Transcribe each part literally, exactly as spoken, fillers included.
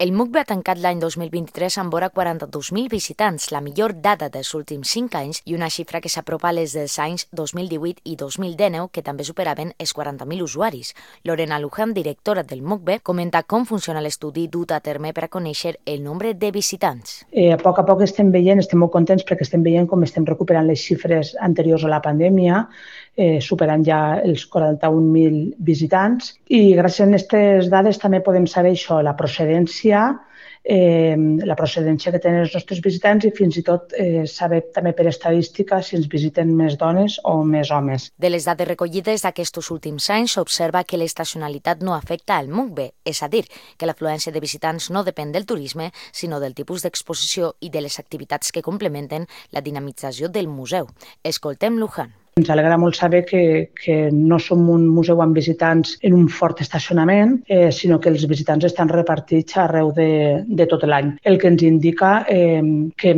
El M U C B ha tancat l'any dos mil vint-i-tres amb vora quaranta-dos mil visitants, la millor dada dels últims cinc anys i una xifra que s'apropa a les dels anys dos mil divuit i dos mil dinou, que també superaven els quaranta mil usuaris. Lorena Luján, directora del M U C B, comenta com funciona l'estudi dut a terme per a conèixer el nombre de visitants. Eh, a poc a poc estem veient, estem molt contents perquè estem veient com estem recuperant les xifres anteriors a la pandèmia, eh, superant ja els quaranta-un mil visitants, i gràcies a aquestes dades també podem saber això, la procedència Eh, la procedència que tenen els nostres visitants i fins i tot eh, saber també per estadística si ens visiten més dones o més homes. De les dades recollides d'aquests últims anys s'observa que l'estacionalitat no afecta al M U C B, és a dir, que l'afluència de visitants no depèn del turisme, sinó del tipus d'exposició i de les activitats que complementen la dinamització del museu. Escoltem Luján. Ens alegra molt saber que, que no som un museu amb visitants en un fort estacionament, eh, sinó que els visitants estan repartits arreu de, de tot l'any. El que ens indica eh, que,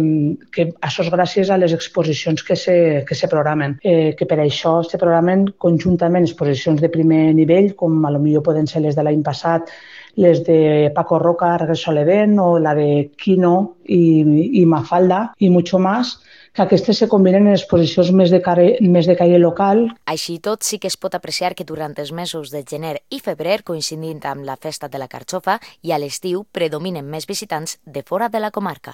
que això és gràcies a les exposicions que se, que se programen, eh, que per això se programen conjuntament exposicions de primer nivell, com a lo millor poden ser les de l'any passat, les de Paco Roca, Regreso al Edén, o la de Quino i, i Mafalda, i mucho más, que aquestes se combinen en exposicions més de, care, més de caire local. Així tot, sí que es pot apreciar que durant els mesos de gener i febrer, coincidint amb la festa de la carxofa, i a l'estiu predominen més visitants de fora de la comarca.